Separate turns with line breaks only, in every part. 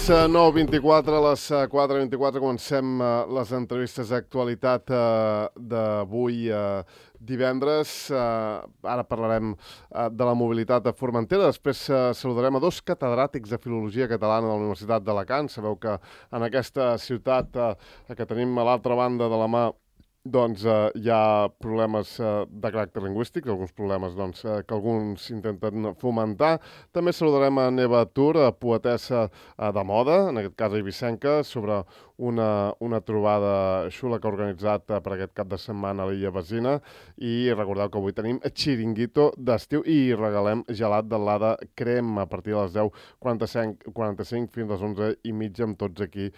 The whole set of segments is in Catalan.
9:24, a les 4:24 comencem les entrevistes d'actualitat d'avui divendres. Ara parlarem de la mobilitat a Formentera. Després saludarem a dos catedràtics de Filologia Catalana de la Universitat d'Alacant. Sabeu que en aquesta ciutat que tenim a l'altra banda de la mà doncs hi ha problemes de caràcter lingüístic, alguns problemes que alguns intenten fomentar. També saludarem a Neva Tur, poetessa de moda, en aquest cas eivissenca, sobre una trobada xula que ha organitzat per aquest cap de setmana a l'Illa Basina. I recordeu que avui tenim xiringuito d'estiu i regalem gelat de l'Ada Crem a partir de les 10:45 fins a les 11:30 amb tots aquí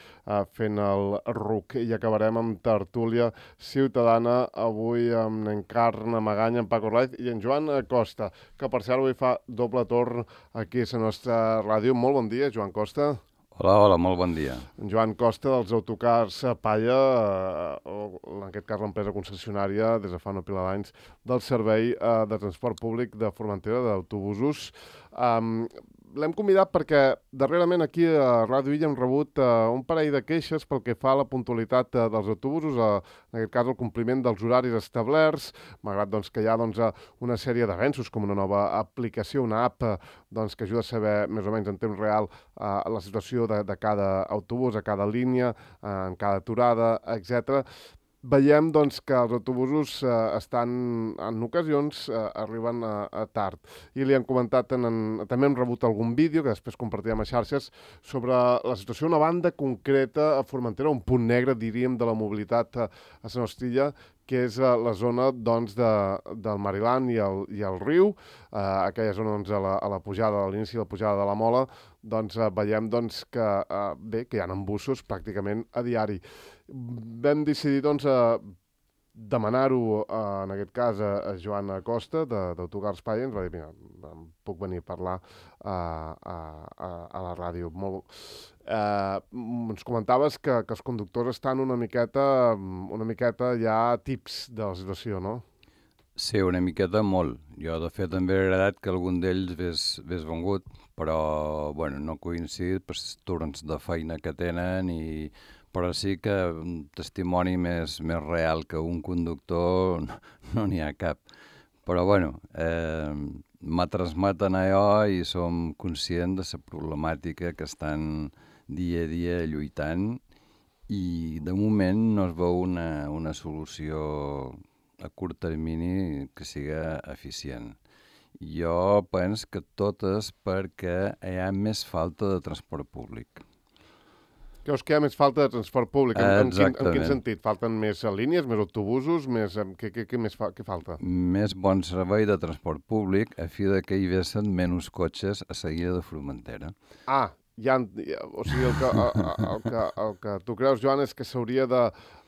fent el ruc. I acabarem amb tertúlia ciutadana, avui amb en Carna Maganya, en Paco Raiz i en Joan Costa, que per cert avui fa doble torn aquí a la nostra ràdio. Molt bon dia, Joan Costa.
Hola, molt bon dia.
En Joan Costa, dels autocars Palla, o en aquest cas l'empresa concessionària, des de fa una pila d'anys, del servei de transport públic de Formentera, d'autobusos. L'hem convidat perquè darrerament aquí a Ràdio Illa hem rebut un parell de queixes pel que fa a la puntualitat dels autobusos, en aquest cas el compliment dels horaris establerts, malgrat que hi ha una sèrie d'avenços com una nova aplicació, una app que ajuda a saber més o menys en temps real la situació de cada autobús, a cada línia, en cada aturada, etc. Veiem que els autobusos estan, en ocasions, arriben tard. I li han comentat, també hem rebut algun vídeo, que després compartirem a xarxes, sobre la situació d'una banda concreta a Formentera, un punt negre, diríem, de la mobilitat a la nostra illa, que és la zona del Mariland i el riu, aquella zona a la pujada, a l'inici de la pujada de la Mola, veiem que hi ha embussos pràcticament a diari. Vam decidir demanar-ho en aquest cas a Joan Costa d'Autocars Palla. Ens va dir, mira, puc venir a parlar a la ràdio. Ens comentaves que els conductors estan una miqueta ja tips de la situació, no?
Sí, una miqueta molt. Jo, de fet, també he agradat que algun d'ells hagués vengut, però no coincidit per els torns de feina que tenen, però sí que un testimoni més real que un conductor no n'hi ha cap. Però me transmeten allò i som conscients de la problemàtica que estan dia a dia lluitant i de moment no es veu una solució a curt termini que siga eficient. Jo penso que tot és perquè hi ha més falta de transport públic.
Creus que hi ha més falta de transport públic? En quin sentit? Falten més línies, més autobusos? Què falta?
Més bon servei de transport públic a fi que hi vessen menys cotxes a seguida de Formentera.
O sigui, el que tu creus, Joan, és que s'hauria de,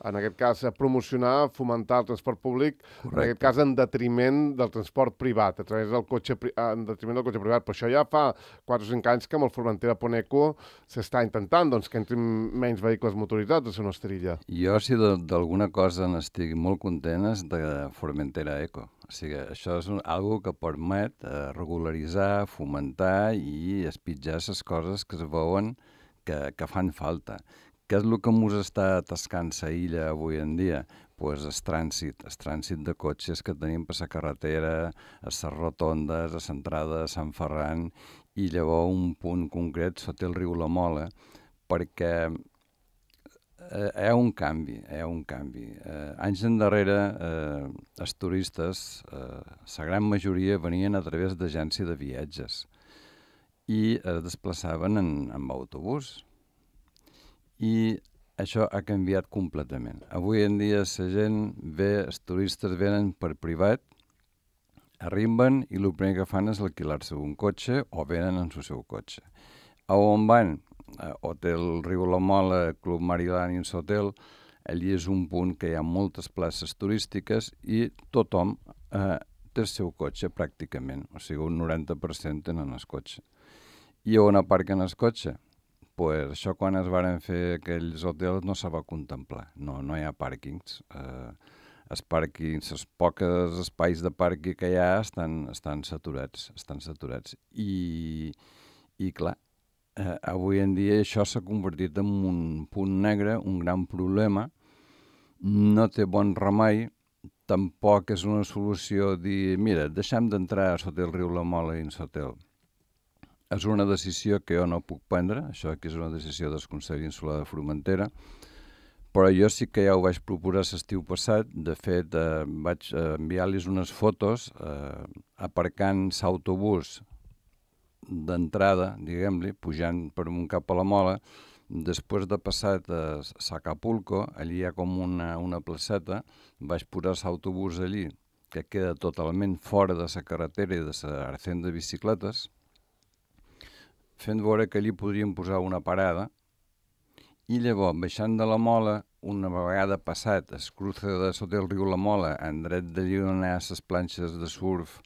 en aquest cas, promocionar, fomentar el transport públic,
correcte,
en aquest cas en detriment del transport privat, en detriment del cotxe privat. Però això ja fa 4 o 5 anys que amb el Formentera Poneco s'està intentant que entrin menys vehicles motoritzats a la nostra illa.
Jo, si d'alguna cosa n'estic molt content, és de Formentera Eco. O sigui, això és algo que permet regularitzar, fomentar i espitjar les coses que es veuen que fan falta. Què és el que ens està atascant la illa avui en dia? Pues el trànsit de cotxes que tenim per la carretera, a les rotondes, a l'entrada de Sant Ferran, i llavors un punt concret sota el riu La Mola, perquè hi ha un canvi. Anys endarrere, els turistes, la gran majoria venien a través d'agència de viatges i es desplaçaven amb autobús. I això ha canviat completament. Avui en dia la gent els turistes venen per privat, arriben i el primer que fan és alquilar-se un cotxe o venen en el seu cotxe. A on van? Hotel Riu La Mola, Club Mariland i Hotel, allí és un punt que hi ha moltes places turístiques i tothom té el seu cotxe pràcticament, o sigui, un 90% tenen el cotxe. I on aparquen el cotxe? Pues això quan es varen fer aquells hotels no se va contemplar, no hi ha pàrquings. Els pàrquings, els pocs espais de pàrquing que hi ha estan saturats. I clar, avui en dia això s'ha convertit en un punt negre, un gran problema. No té bon remei, tampoc és una solució dir, mira, deixem d'entrar a Sotel Riu La Mola i en Sotel. És una decisió que jo no puc prendre, això aquí és una decisió del Consell Insular de Formentera, però jo sí que ja ho vaig proposar l'estiu passat. De fet, vaig enviar-los unes fotos aparcant l'autobús d'entrada, diguem-li, pujant per un cap a la Mola. Després de passar a Acapulco, allí hi ha com una placeta, vaig posar l'autobús allí, que queda totalment fora de la carretera i de l'arcent de bicicletes, fent veure que allí podríem posar una parada, i llavors, baixant de la Mola, una vegada passat es cruce de sota el riu La Mola, en dret d'allí on hi ha les planxes de surf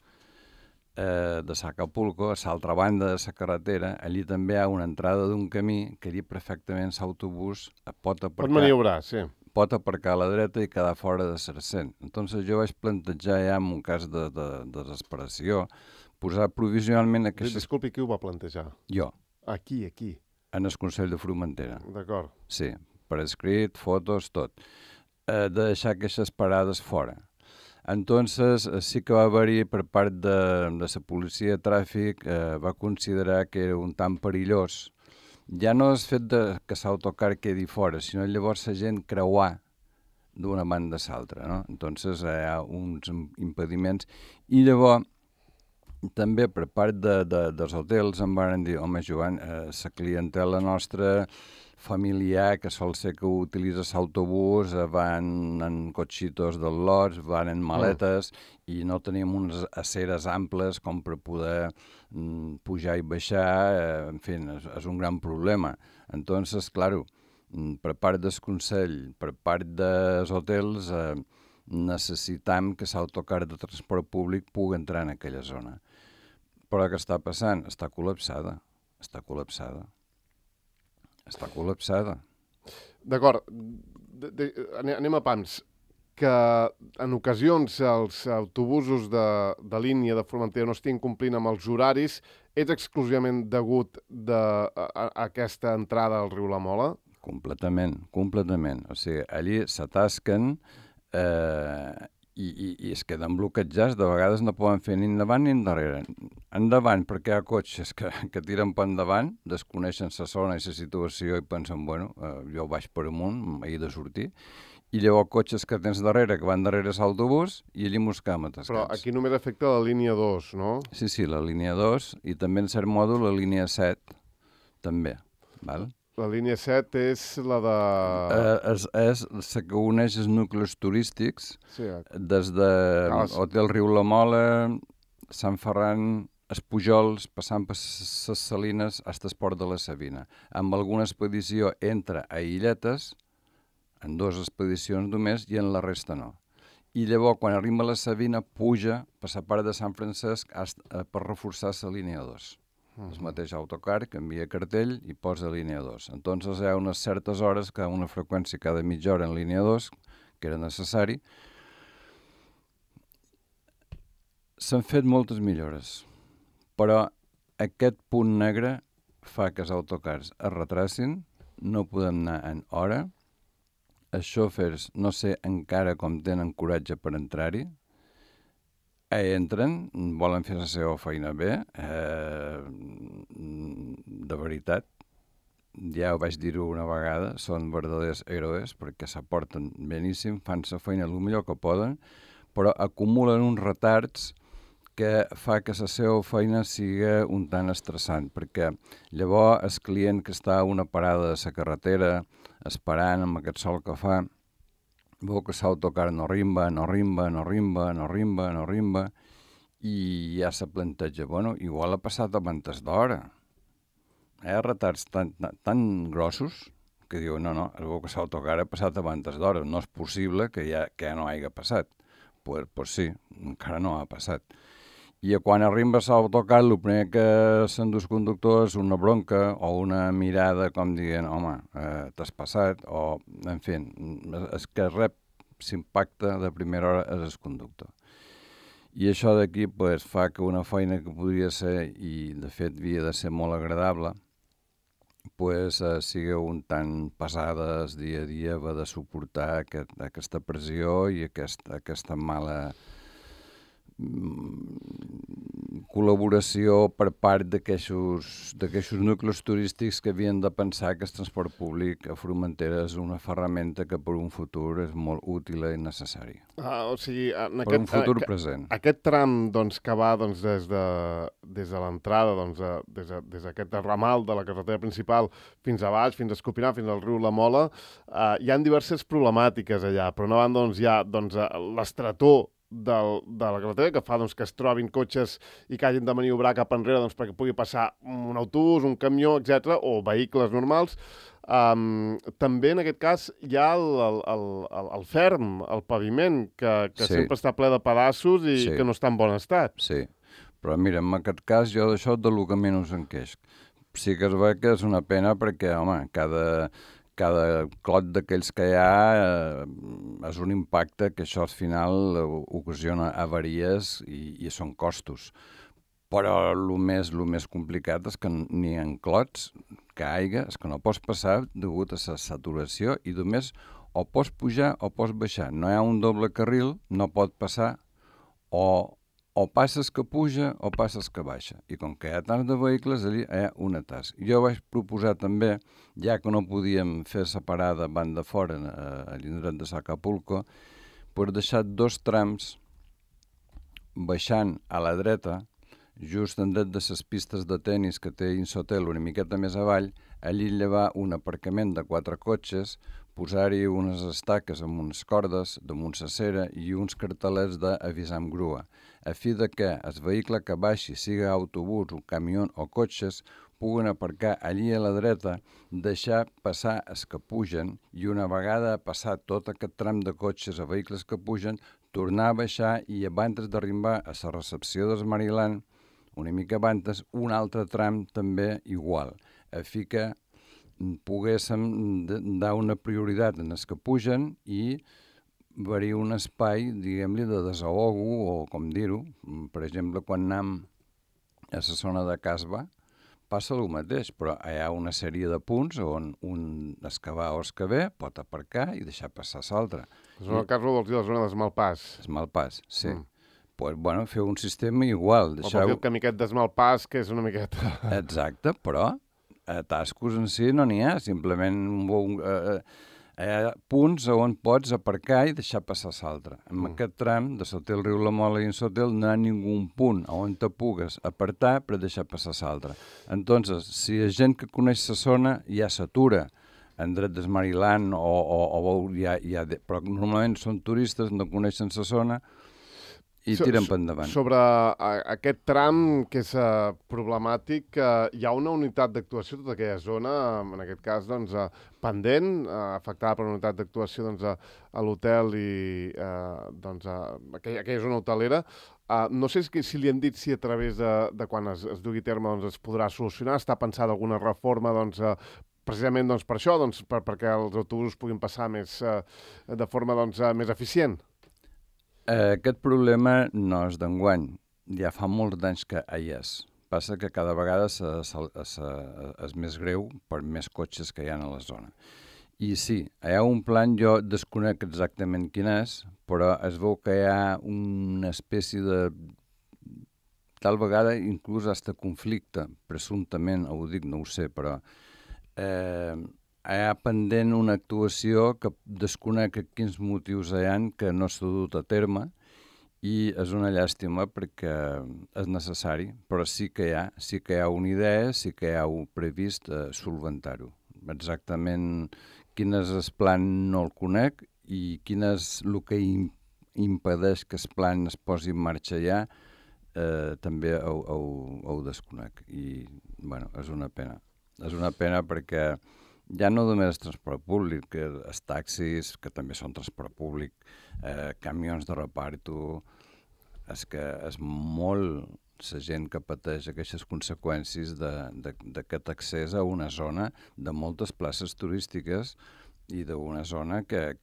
de Acapulco, a l'altra banda de la carretera, allí també hi ha una entrada d'un camí que allí perfectament l'autobús pot aparcar.
Pot maniobrar, sí.
Pot aparcar a la dreta i quedar fora de l'arcent. Entonces jo vaig plantejar ja en un cas de desesperació posar provisionalment aquestes...
Disculpi, qui ho va plantejar?
Jo.
Aquí.
En el Consell de Formentera.
D'acord.
Sí, per escrit, fotos, tot. De deixar aquestes parades fora. Entonces, sí que va haver-hi per part de la policia de tràfic, va considerar que era un tant perillós. Ja no és fet que l'autocar quedi fora, sinó llavors la gent creuar d'una banda a l'altra, no? Entonces, hi ha uns impediments. I llavors, també per part dels hotels em van dir, home, Joan, la clientela nostra familiar, que sol ser que utilitza l'autobús, van en cotxitos del lots, van en maletes, i no tenim unes aceres amples com per poder pujar i baixar, en fi, és un gran problema. Entonces, claro, per part del Consell, per part dels hotels, necessitam que l'autocar de transport públic pugui entrar en aquella zona. Però què està passant? Està col·lapsada.
D'acord. Anem a pams. Que en ocasions els autobusos de línia de Formentera no estiguin complint amb els horaris és exclusivament degut a aquesta entrada al riu La Mola?
Completament. O sigui, allí s'atasquen i es queden bloquejats. De vegades no poden fer ni endavant ni endarrere. Endavant, perquè hi ha cotxes que tiren per endavant, desconeixen la zona i la situació i pensen, bueno, jo vaig per amunt, he de sortir. I llavors cotxes que tens darrere, que van darrere l'autobús, i allí mos quedem atascats.
Però aquí només afecta la línia 2, no?
Sí, la línia 2, i també en cert mòdul la línia 7, també, val?
La línia 7 és la de...
És la que uneix els nuclis turístics,
sí,
des de Hotel Riu La Mola, Sant Ferran, els Pujols, passant per les Salines, fins al Port de la Sabina. Amb alguna expedició entra a Illetes, en 2 expedicions només, i en la resta no. I llavors, quan arriba a la Sabina, puja per la part de Sant Francesc per reforçar la línia 2. El mateix autocar que envia cartell i posa línia 2. Entonces hi ha unes certes hores, una freqüència cada mitja hora en línia 2, que era necessari. S'han fet moltes millores, però aquest punt negre fa que els autocars es retracin, no podem anar en hora, els xòfers no sé encara com tenen coratge per entrar-hi, entren, volen fer la seva feina bé, de veritat, ja ho vaig dir-ho una vegada, són verdaders heroes perquè s'aporten beníssim, fan la feina el millor que poden, però acumulen uns retards que fa que la seva feina sigui un tant estressant, perquè llavors el client que està a una parada de la carretera esperant amb aquest sol que fa, veu que l'autocar no rimba, i ja se planteja, bueno, igual ha passat abans d'hora. Hi ha retards tan grossos que diu, no, es veu que l'autocar ha passat abans d'hora, no és possible que ja no hagi passat. Pues sí, encara no ha passat. I quan arriba l'autocar, el primer que sent els conductors és una bronca o una mirada com dient, home, t'has passat, o, en fi, és que rep l'impacte de primera hora és el conductor. I això d'aquí fa que una feina que podria ser, i de fet havia de ser molt agradable, sigui un tant pesades dia a dia, va de suportar aquesta pressió i aquesta mala col·laboració per part d'aquests nuclis turístics que havien de pensar que el transport públic a Formentera és una ferramenta que per un futur és molt útil i necessari.
O sigui,
per un futur present.
Aquest tram doncs, que va doncs, des de l'entrada, doncs, des d'aquest ramal de la carretera principal fins a baix, fins a Escopinar, fins al riu La Mola, hi ha diverses problemàtiques allà. Per una banda, doncs, hi ha l'estretor de la carretera, que fa doncs, que es trobin cotxes i que hagin de maniobrar cap enrere doncs, perquè pugui passar un autobús, un camió, etc o vehicles normals. També, en aquest cas, hi ha el ferm, el paviment, que sí, sempre està ple de pedaços i sí, que no està en bon estat.
Sí, però mira, en aquest cas jo d'això de lo que menys en queix. Sí que es veu que és una pena perquè, home, cada clot d'aquells que hi ha és un impacte que això al final ocasiona avaries i són costos. Però el més complicat és que n'hi ha clots que aigua, és que no pots passar degut a la saturació i només o pots pujar o pots baixar. No hi ha un doble carril, no pot passar o passes que puja o passes que baixa. I com que hi ha tants de vehicles, allà hi ha un atàs. Jo vaig proposar també, ja que no podíem fer separada banda fora a l'indret de Acapulco, per deixar 2 trams baixant a la dreta, just en dret de les pistes de tennis que té Insotel una miqueta més avall, allí llevar un aparcament de 4 cotxes, posar-hi unes estaques amb unes cordes damunt la cera i uns cartelets d'avisar amb grua, a fi de que el vehicle que baixi, siga autobús, un camió o cotxes, puguen aparcar allí a la dreta, deixar passar els que pugen i una vegada passat tot aquest tram de cotxes a vehicles que pugen, tornar a baixar i abans d'arribar a la recepció del Maryland, una mica abans, un altre tram també igual, a fi que poguéssim dar una prioritat en els que pugen i haver-hi un espai, diguem-li, de desahogo o com dir-ho. Per exemple, quan anem a la zona de Casba, passa el mateix, però hi ha una sèrie de punts on un escavar o escaver pot aparcar i deixar passar l'altre.
La zona de Casba vols dir la zona d'esmalpàs?
Esmalpàs, sí. Pues, bueno, fer un sistema igual.
O per dir el camí aquest d'esmalpàs, que és una miqueta...
Exacte, però atascos en si no n'hi ha, simplement hi ha punts on pots aparcar i deixar passar l'altre. En aquest tram, de Sotel, riu La Mola i en Sotel, no hi ha ningú punt on te pugues apartar per deixar passar l'altre. Entonces, si hi ha gent que coneix la zona, ja s'atura en dret del Maryland però normalment són turistes, no coneixen la zona, i tiren per endavant.
Sobre aquest tram, que és problemàtic, hi ha una unitat d'actuació a tota aquella zona, en aquest cas, doncs, pendent, afectada per una unitat d'actuació doncs, a l'hotel i doncs, aquella zona hotelera. No sé si li han dit si a través de quan es dugui a terme doncs, es podrà solucionar, està pensada alguna reforma doncs, precisament doncs, per això, doncs, perquè els autobusos puguin passar de forma doncs, més eficient.
Aquest problema no és d'enguany, ja fa molts anys que hi és. Passa que cada vegada és més greu per més cotxes que hi ha a la zona. I sí, hi ha un plan, jo desconec exactament quin és, però es veu que hi ha una espècie de... Tal vegada inclús hasta conflicte, presumptament, ho dic, no ho sé, però... hi ha pendent una actuació que desconec quins motius hi ha que no s'ha dut a terme i és una llàstima perquè és necessari, però sí que hi ha una idea, sí que hi ha previst solventar-ho. Exactament quin és el plan no el conec i quin és el que impedeix que el plan es posi en marxa ja també ho desconec i bueno, és una pena. És una pena perquè ja no només el transport públic, els taxis, que també són transport públic, camions de reparto, és que és molt la gent que pateix aquestes conseqüències d'aquest accés a una zona de moltes places turístiques i d'una zona que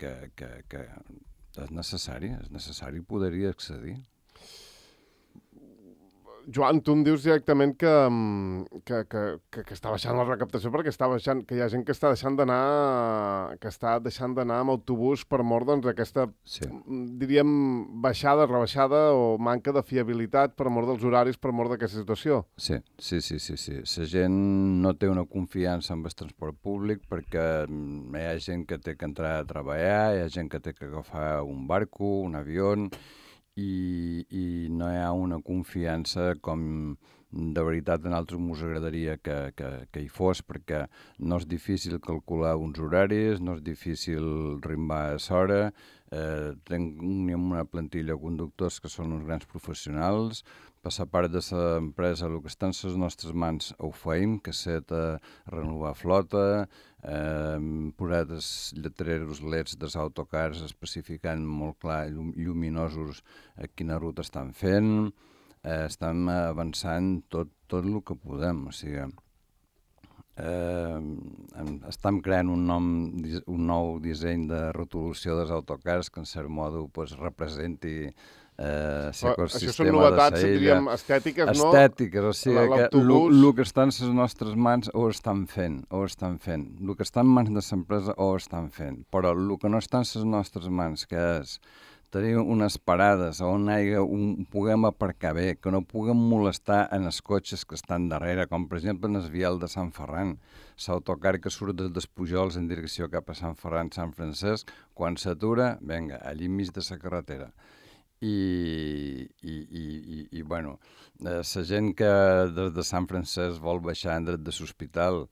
és necessari poder-hi accedir.
Joan, tu em dius directament que està baixant la recaptació perquè està baixant, que hi ha gent que està deixant d'anar amb autobús per mort, doncs, aquesta, diríem, baixada, rebaixada o manca de fiabilitat per mort dels horaris, per mort d'aquesta situació.
Sí. La gent no té una confiança en el transport públic perquè hi ha gent que té que entrar a treballar, hi ha gent que té que agafar un barco, un avió, i no hi ha una confiança com de veritat a nosaltres ens agradaria que hi fos, perquè no és difícil calcular uns horaris, no és difícil rimbar a l'hora, tenim una plantilla de conductors que són uns grans professionals, per la part de l'empresa el que està en les nostres mans ho feim, que set a renovar flota, posat els lletreros LEDs dels autocars especificant molt clar, lluminosos, quina ruta estan fent, estem avançant tot el que podem, o sigui, estem creant un nou disseny de rotulació dels autocars que en cert modo representi
això són novetats, diríem, estètiques, no?
Estètiques, o sigui que el que està en les nostres mans ho estan fent. El que està en mans de l'empresa ho estan fent, però el que no està en les nostres mans, que és tenir unes parades on puguem aparcar bé, que no puguem molestar en els cotxes que estan darrere, com per exemple en el vial de Sant Ferran, l'autocar que surt des dels Pujols en direcció cap a Sant Ferran, Sant Francesc, quan s'atura, vinga, allí enmig de la carretera. I bueno, la gent que des de Sant Francesc vol baixar en dret de l'hospital,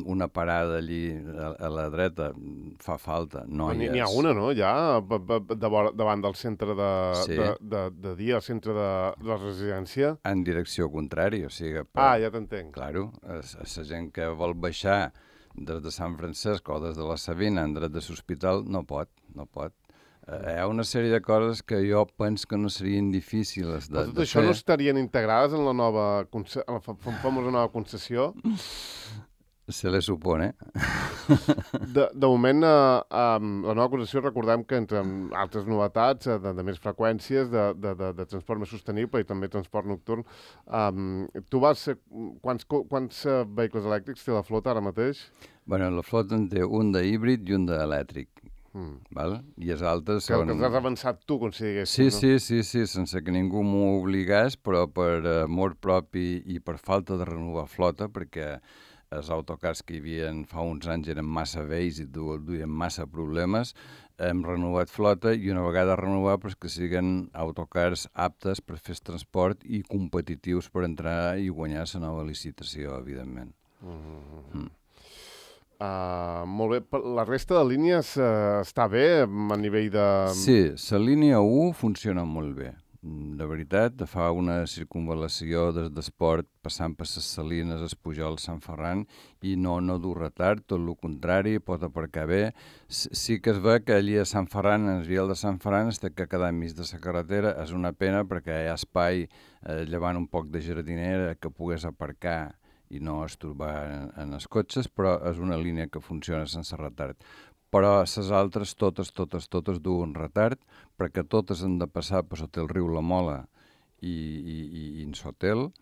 una parada allí a la dreta fa falta, no hi és.
N'hi ha una, no?, ja, davant del centre de dia, el centre de la residència.
En direcció contrària, o sigui...
Ja t'entenc.
Claro, la gent que vol baixar des de Sant Francesc o des de la Sabina en dret de l'hospital no pot. Hi ha una sèrie de coses que jo penso que no serien difícils de fer.
Tot això no estarien integrades en la famosa nova concessió?
Se le supone.
De moment, la nova concessió, recordem que entre altres novetats, de més freqüències, de transport més sostenible i també transport nocturn, quants vehicles elèctrics té la flota ara mateix?
Bueno, la flota en té un d'híbrid i un d'elèctric. Val? I els altres són...
Que els has avançat tu, com si diguéssim,
no? Sí, sense que ningú m'ho obligés, però per amor propi i per falta de renovar flota, perquè els autocars que hi havia fa uns anys eren massa vells i duien massa problemes, hem renovat flota i una vegada renovar que siguin autocars aptes per fer transport i competitius per entrar i guanyar la nova licitació, evidentment.
Molt bé. La resta de línies està bé a nivell de...
Sí, la línia 1 funciona molt bé. De veritat, fa una circunvalació des d'Esport passant per les Salines, els Pujols, Sant Ferran i no du retard, tot el contrari, pot aparcar bé. Sí que es ve que allí a Sant Ferran, en el vial de Sant Ferran, es té que quedar enmig de la carretera. És una pena perquè hi ha espai, llevant un poc de jardinera, que pogués aparcar i no estorbar en els cotxes, però és una línia que funciona sense retard. Però les altres, totes duen retard, perquè totes han de passar per sota el riu La Mola i en Sotel,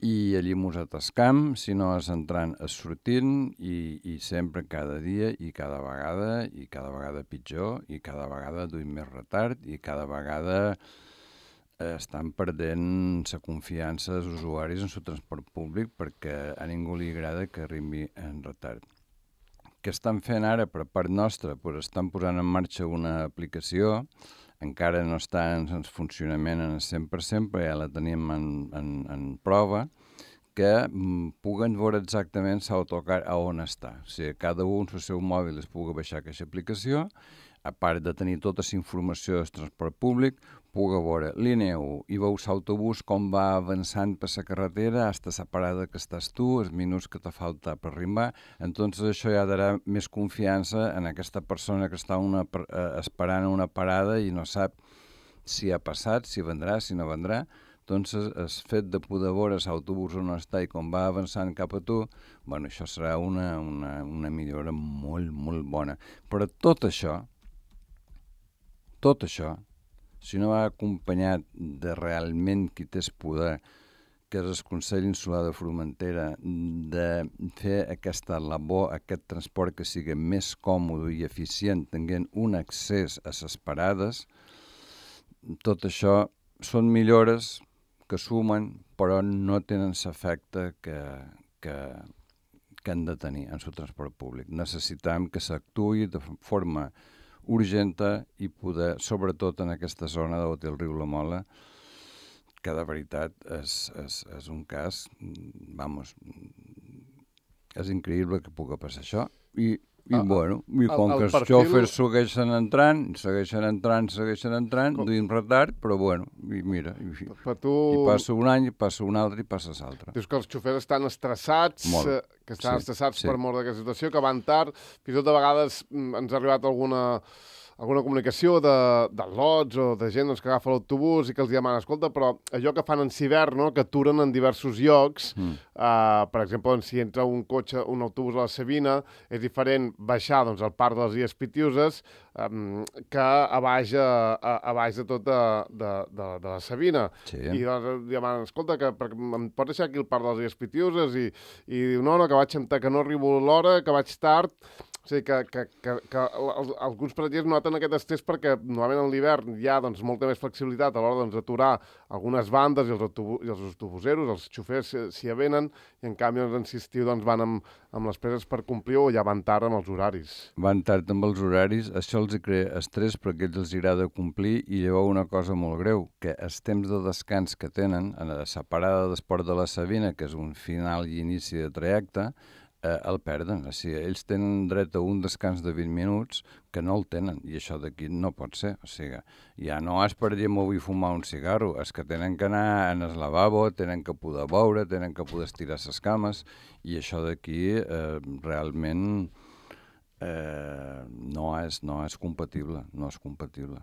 i allí mos atascam, si no és entrant, és sortint, i sempre, cada dia, i cada vegada pitjor, i cada vegada duim més retard, i cada vegada... estan perdent la confiança dels usuaris en el transport públic perquè a ningú li agrada que arribi en retard. Què estan fent ara per part nostra? Estan posant en marxa una aplicació, encara no està en funcionament en el 100%, però ja la tenim en prova, que puguen veure exactament l'autocar a on està. O sigui, cada un en el seu mòbil es pugui baixar aquesta aplicació, a part de tenir tota la informació del transport públic, pugui veure línia 1 i veus l'autobús com va avançant per la carretera fins a la parada que estàs tu, els minuts que te falta per arribar. Entonces això ja darà més confiança en aquesta persona que està esperant una parada i no sap si ha passat, si vendrà, si no vendrà. Entonces, el fet de poder veure l'autobús on està i com va avançant cap a tu, bueno, això serà una millora molt, molt bona. Però tot això, si no va acompanyat de realment qui té el poder que és el Consell Insular de Formentera, de fer aquesta labor, aquest transport que sigui més còmode i eficient, tenint un accés a les parades, tot això són millores que sumen, però no tenen l'efecte que han de tenir en el transport públic. Necessitem que s'actuï de forma urgent i poder, sobretot en aquesta zona del riu La Mola, que de veritat és un cas, és increïble que pugui passar això. I com que els xòfers segueixen entrant, duint retard, però i mira, i passa un any, i passa un altre, i passa l'altre.
Dius que els xòfers estan estressats, per mort d'aquesta situació, que van tard, fins i tot de vegades ens ha arribat alguna comunicació de lots o de gent que agafa l'autobús i que els demana, escolta, però allò que fan en Civern, no?, que aturen en diversos llocs, per exemple, si entra un autobús a la Savina, és diferent baixar al Parc de les Illes Pitiuses que a baix de tot de la Savina.
Sí.
I doncs demanen, escolta, que em pots deixar aquí el Parc de les Illes Pitiuses? I diu, no, que no arribo a l'hora, que vaig tard. O sigui, que alguns paratgers noten aquest estrès perquè normalment en l'hivern hi ha molta més flexibilitat a l'hora d'aturar algunes bandes i els autobuseros, els xofers s'hi avenen, i en canvi en l'estiu van amb les presses per complir o ja van tard amb els horaris.
Van tard amb els horaris, això els crea estrès perquè ells els agrada complir, i llavors una cosa molt greu, que els temps de descans que tenen en la parada d'esport de la Savina, que és un final i inici de trajecte, el perden. O sigui, ells tenen dret a un descans de 20 minuts que no el tenen, i això d'aquí no pot ser. O sigui, ja no és per dir m'ho vull fumar un cigarro, és que tenen que anar en el lavabo, tenen que poder beure, tenen que poder estirar les cames, i això d'aquí realment no és compatible, no és compatible.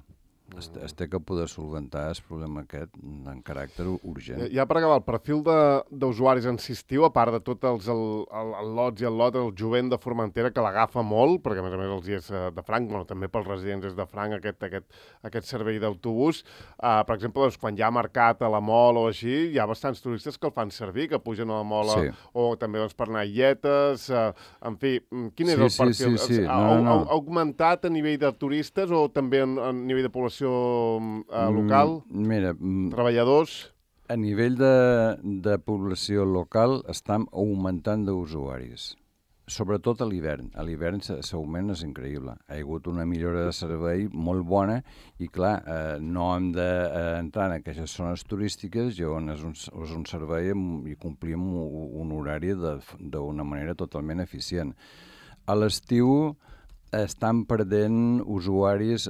Es té que poder solventar el problema aquest en caràcter urgent.
Ja per acabar, el perfil d'usuaris en estiu, a part de tot el lots i el lot, el jovent de Formentera, que l'agafa molt, perquè a més els és de franc, també pels residents és de franc aquest servei d'autobús. Per exemple, quan hi ha mercat a la Mol o així, hi ha bastants turistes que el fan servir, que pugen a la Mola, o també per anar a Illetes. En fi, quin és el perfil?
Sí.
Ha augmentat a nivell de turistes o també a nivell de població local?
Mira,
treballadors?
A nivell de població local estem augmentant d'usuaris, sobretot a l'hivern. A l'hivern l'augment és increïble. Ha hagut una millora de servei molt bona i, clar, no hem d'entrar en aquestes zones turístiques i on és un servei i complim un horari d'una manera totalment eficient. A l'estiu estan perdent usuaris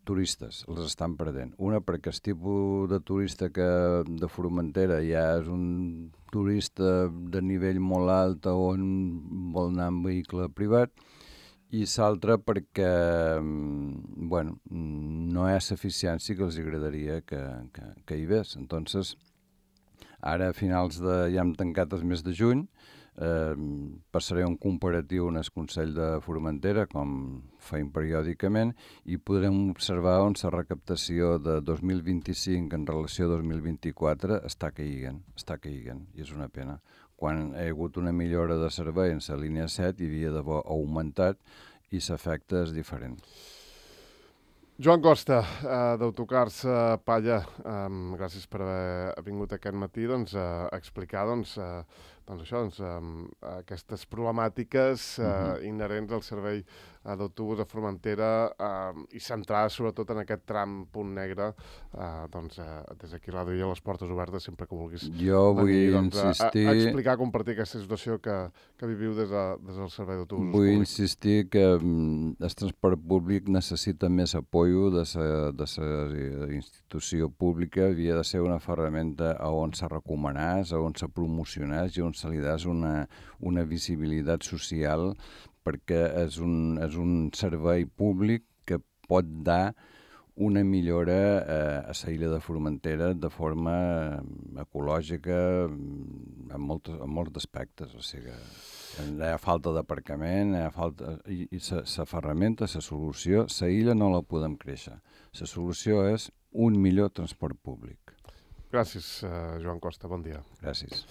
turistes, els estan perdent. Una, perquè el tipus de turista que de Formentera ja és un turista de nivell molt alt on vol anar en vehicle privat, i l'altra perquè no hi ha l'eficiència que els agradaria que hi hagués. Entonces, ara a finals ja hem tancat el mes de juny, passaré un comparatiu en el Consell de Formentera, com feim periòdicament, i podrem observar on la recaptació de 2025 en relació a 2024 està caient, i és una pena. Quan hi ha hagut una millora de servei en la línia 7 hi havia d'haver augmentat i l'efecte és diferent.
Joan Costa, d'Autocars Palla, gràcies per haver vingut aquest matí a explicar aquestes problemàtiques inherents al servei d'autobús a Formentera i centrades sobretot en aquest tram punt negre. Des d'aquí la duia les portes obertes sempre que vulguis.
Jo vull insistir...
A explicar, compartir aquesta situació que viviu des del servei d'autobusos
Vull
públics.
insistir que el transport públic necessita més apoyo de la institució pública. Havia de ser una ferramenta on se recomanés, on se promocionés i on se li des una visibilitat social, perquè és un servei públic que pot dar una millora a la illa de Formentera de forma ecològica en molts aspectes. O sigui, hi ha falta d'aparcament, i la ferramenta, la solució, la illa no la podem créixer. La solució és un millor transport públic.
Gràcies, Joan Costa. Bon dia.
Gràcies.